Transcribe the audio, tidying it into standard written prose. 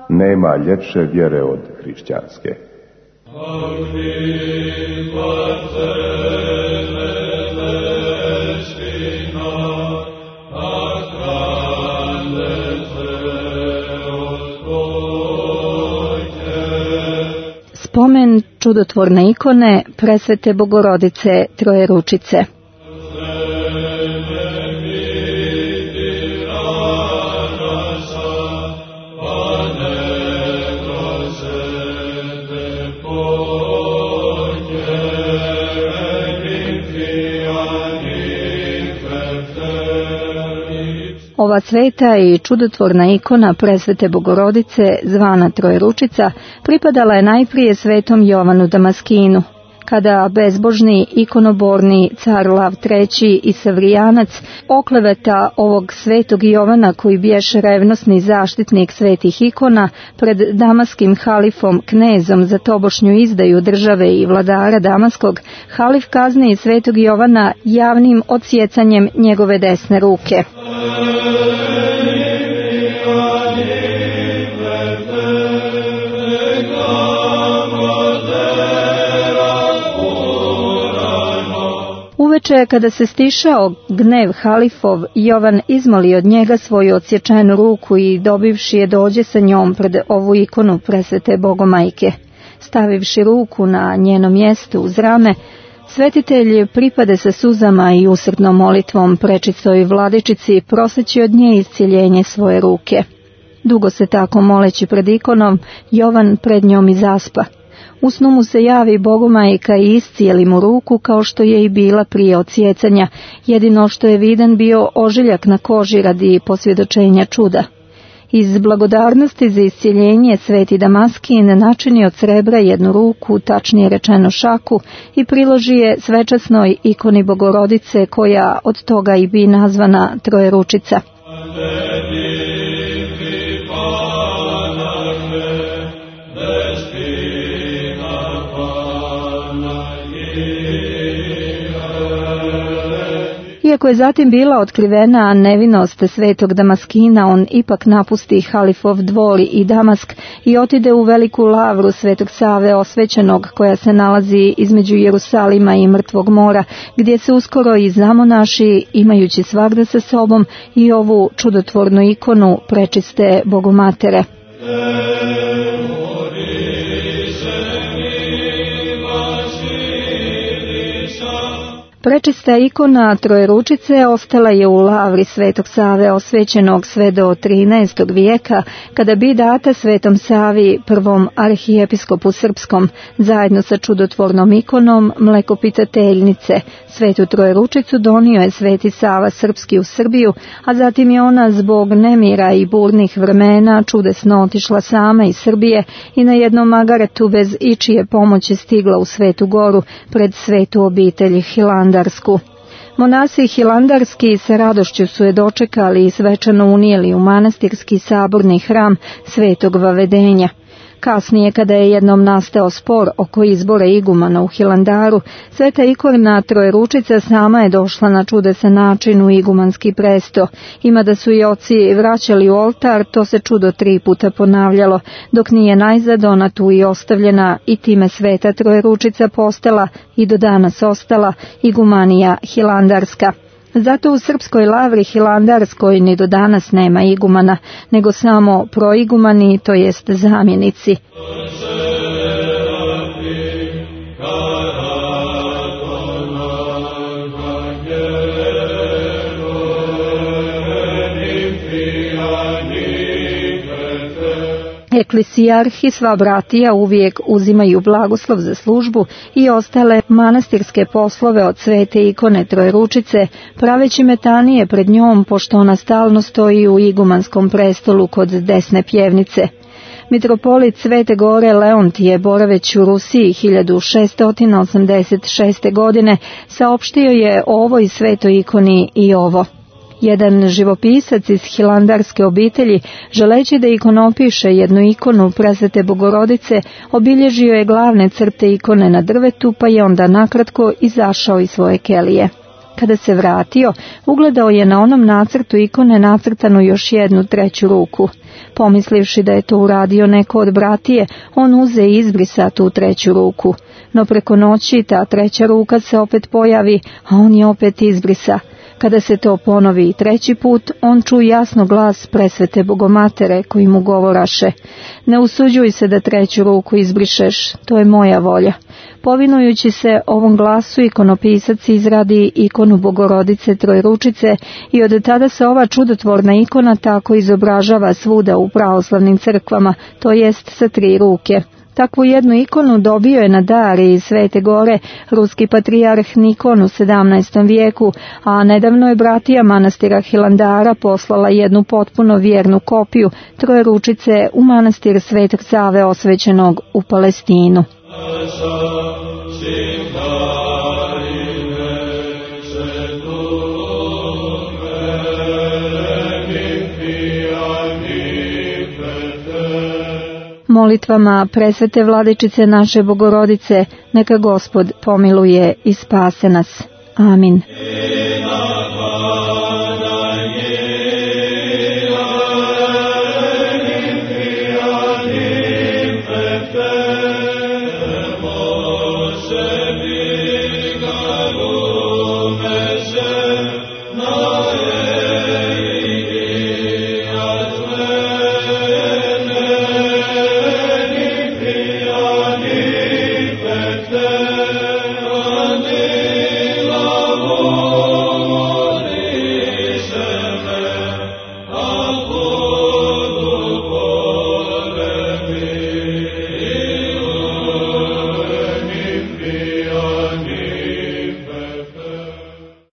Nema ljepše vjere od hrišćanske. Spomen čudotvorne ikone presvete Bogorodice Trojeručice. Ova sveta i čudotvorna ikona presvete Bogorodice, zvana Trojeručica, pripadala je najprije svetom Jovanu Damaskinu. Kada bezbožni ikonoborni car Lav III i Savrijanac okleveta ovog svetog Jovana, koji biješe revnosni zaštitnik svetih ikona, pred damaskim halifom knezom za tobošnju izdaju države i vladara Damaskog, halif kazni svetog Jovana javnim odsjecanjem njegove desne ruke. Uveče, kada se stišao gnev halifov, Jovan izmoli od njega svoju odsječenu ruku i dobivši je dođe sa njom pred ovu ikonu presvete Bogomajke. Stavivši ruku na njeno mjesto uz rame, svetitelj pripade sa suzama i usrdnom molitvom prečistoj vladičici proseći od nje iscjeljenje svoje ruke. Dugo se tako moleći pred ikonom, Jovan pred njom i zaspa. U snu mu se javi Bogomajka i iscijeli mu ruku kao što je i bila prije odsjecanja, jedino što je vidan bio ožiljak na koži radi posvjedočenja čuda. Iz blagodarnosti za iscijeljenje sveti Damaskin načini od srebra jednu ruku, tačnije rečeno šaku, i priloži je svečasnoj ikoni Bogorodice, koja od toga i bi nazvana Trojeručica. Iako je zatim bila otkrivena nevinost svetog Damaskina, on ipak napusti halifov dvor i Damask i otide u veliku lavru svetog Save osvećenog, koja se nalazi između Jerusalima i Mrtvog mora, gdje se uskoro i zamonaši, imajući svagda sa sobom i ovu čudotvornu ikonu prečiste Bogomatere. Prečista ikona Trojeručice ostala je u lavri svetog Save osvećenog sve do 13. vijeka, kada bi data svetom Savi, prvom arhijepiskopu srpskom, zajedno sa čudotvornom ikonom Mlekopitateljnice. Svetu Trojeručicu donio je sveti Sava srpski u Srbiju, a zatim je ona zbog nemira i burnih vremena čudesno otišla sama iz Srbije i na jednom magaretu bez ičije pomoći stigla u Svetu Goru pred svetu obitelj Hilandarsku. Monasi hilandarski sa radošću su je dočekali i svečano unijeli u manastirski saborni hram Svetog Vavedenja. Kasnije, kada je jednom nastao spor oko izbora igumana u Hilandaru, sveta ikona Trojeručica sama je došla na čudesan način u igumanski presto. Ima da su i oci vraćali u oltar, to se čudo 3 puta ponavljalo, dok nije najzad ona tu i ostavljena, i time sveta Trojeručica postala i do danas ostala igumanija hilandarska. Zato u srpskoj lavri hilandarskoj ni do danas nema igumana, nego samo proigumani, to jest zamjenici. Eklesijarh i sva bratija uvijek uzimaju blagoslov za službu i ostale manastirske poslove od svete ikone Trojeručice, praveći metanije pred njom, pošto ona stalno stoji u igumanskom prestolu kod desne pjevnice. Mitropolit Svete Gore Leontije, boraveći u Rusiji 1686. godine, saopštio je o ovoj svetoj ikoni i ovo. Jedan živopisac iz hilandarske obitelji, želeći da ikonopiše jednu ikonu Presvete Bogorodice, obilježio je glavne crte ikone na drvetu, pa je onda nakratko izašao iz svoje kelije. Kada se vratio, ugledao je na onom nacrtu ikone nacrtanu još jednu treću ruku. Pomislivši da je to uradio neko od bratije, on uze i izbrisa tu treću ruku. No preko noći ta treća ruka se opet pojavi, a on je opet izbrisa. Kada se to ponovi i treći put, on čuje jasno glas Presvete Bogomatere koji mu govoraše: ne usuđuj se da treću ruku izbrišeš, to je moja volja. Povinujući se ovom glasu, ikonopisac izradi ikonu Bogorodice Trojeručice i od tada se ova čudotvorna ikona tako izobražava svuda u pravoslavnim crkvama, to jest sa 3 ruke. Takvu jednu ikonu dobio je na dar iz Svete Gore ruski patrijarh Nikon u 17. vijeku, a nedavno je bratija manastira Hilandara poslala jednu potpuno vjernu kopiju Trojeručice u manastir Svetog Save osvećenog u Palestinu. Molitvama Presvete Vladičice naše Bogorodice, neka Gospod pomiluje i spase nas. Amin.